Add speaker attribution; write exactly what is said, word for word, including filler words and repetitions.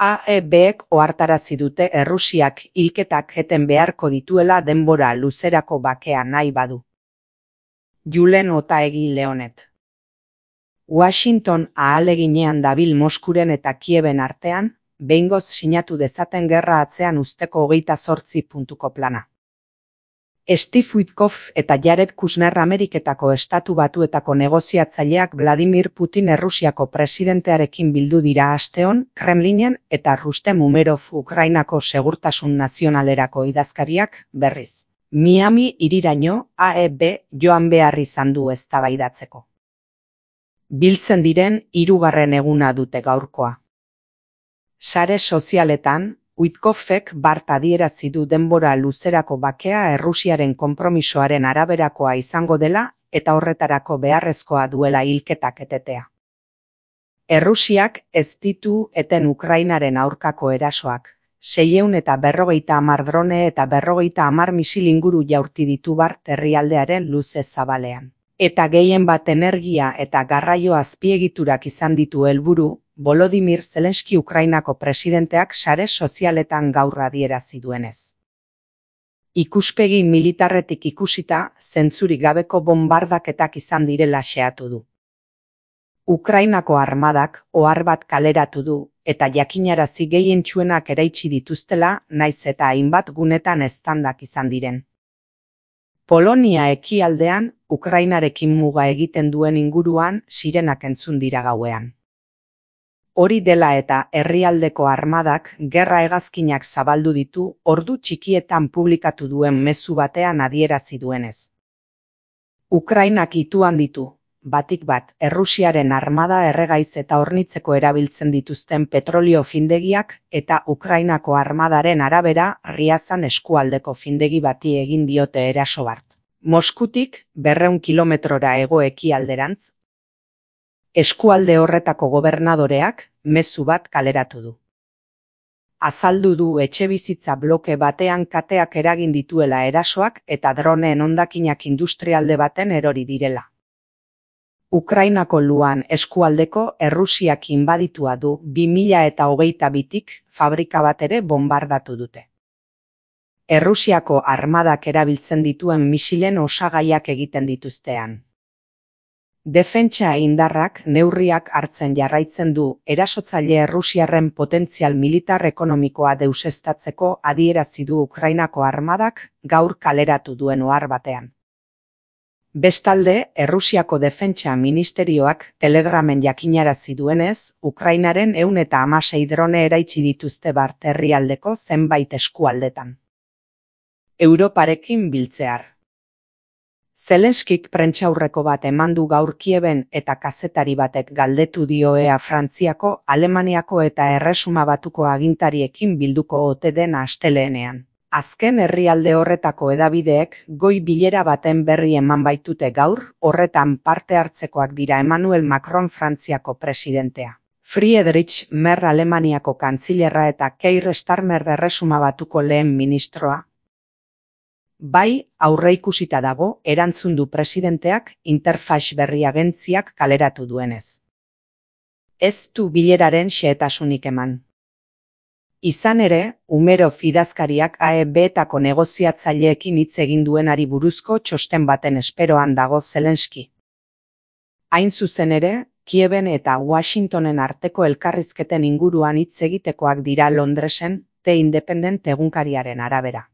Speaker 1: A E Bek ohartarazi dute Errusiak hilketak eten beharko dituela denbora luzerako bakea nahi badu. Julen Otaegi Leonet. Washington ahaleginean dabil Moskuren eta Kieben artean, behingoz sinatu dezaten gerra atzean uzteko hogeita zortzi puntuko plana. Steve Witkoff eta Jared Kushner Ameriketako Estatu Batuetako negoziatzaileak Vladimir Putin Errusiako presidentearekin bildu dira asteon Kremlinen eta Rustem Umerov Ukrainako segurtasun nazionalerako idazkariak berriz. Miami hiriraino A E B joan behar izan du eztabaidatzeko. Biltzen diren hirugarren eguna dute gaurkoa. Sare sozialetan, Witkoffek bart adierazi du denbora luzerako bakea Errusiaren konpromisoaren araberakoa izango dela eta horretarako beharrezkoa duela hilketak etetea. Errusiak ez ditu eten Ukrainaren aurkako erasoak, seiehun eta berrogeita hamar drone eta berrogeita hamar misil inguru jaurti ditu bart herrialdearen luze zabalean. Eta gehien bat energia eta garraio azpiegiturak izan ditu helburu, Volodymyr Zelensky Ukrainako presidenteak sare sozialetan gaur adierazi duenez. Ikuspegi militarretik ikusita, zentzurik gabeko bonbardaketak izan direla xeatu du. Ukrainako armadak ohar bat kaleratu du eta jakinarazi gehientsuenak eraitsi dituztela, naiz eta hainbat gunetan eztandak izan diren. Polonia ekialdean, Ukrainarekin muga egiten duen inguruan sirenak entzun dira gauean. Hori dela eta herrialdeko armadak gerra hegazkinak zabaldu ditu ordu txikietan publikatu duen mezu batean adierazi duenez. Ukrainak ituan ditu, batik bat, Errusiaren armada erregaiz eta hornitzeko erabiltzen dituzten petrolio findegiak eta Ukrainako armadaren arabera Riazan eskualdeko findegi bati egin diote eraso bart. Moskutik berrehun kilometrora hego-ekialderantz, eskualde horretako gobernadoreak mezu bat kaleratu du. Azaldu du etxebizitza bloke batean kateak eragin dituela erasoak eta droneen hondakinak industrialde baten erori direla. Ukrainako luan eskualdeko Errusiak inbaditua du bi mila eta hogeita bitik fabrika bat ere bonbardatu dute. Errusiako armadak erabiltzen dituen misilen osagaiak egiten dituztean. Defentsa indarrak neurriak hartzen jarraitzen du erasotzaile Errusiarren potentzial militar ekonomikoa deuseztatzeko adierazi du Ukrainako armadak gaur kaleratu duen ohar batean. Bestalde, Errusiako Defentsa Ministerioak Telegramen jakinarazi duenez, Ukrainaren ehun eta hamasei drone eraitsi dituzte bart herrialdeko zenbait eskualdetan. Europarekin biltzear. Zelenskik prentsaurreko bat eman du gaur Kieben eta kazetari batek galdetu dio ea Frantziako, Alemaniako eta Erresuma Batuko agintariekin bilduko ote den astelehenean. Azken herrialde horretako hedabideek goi bilera baten berri eman baitute gaur, horretan parte hartzekoak dira Emmanuel Macron Frantziako presidentea, Friedrich Merz Alemaniako kantzilerra eta Keir Starmer Erresuma Batuko lehen ministroa. Bai, aurreikusita dago, erantzun du presidenteak Interfax berri agentziak kaleratu duenez. Ez du bileraren xehetasunik eman. Izan ere, Umerov idazkariak A E Betako negoziatzaileekin hitz egin duenari buruzko txosten baten esperoan dago Zelensky. Hain zuzen ere, Kieben eta Washingtonen arteko elkarrizketen inguruan hitz egitekoak dira Londresen, The Independent egunkariaren arabera.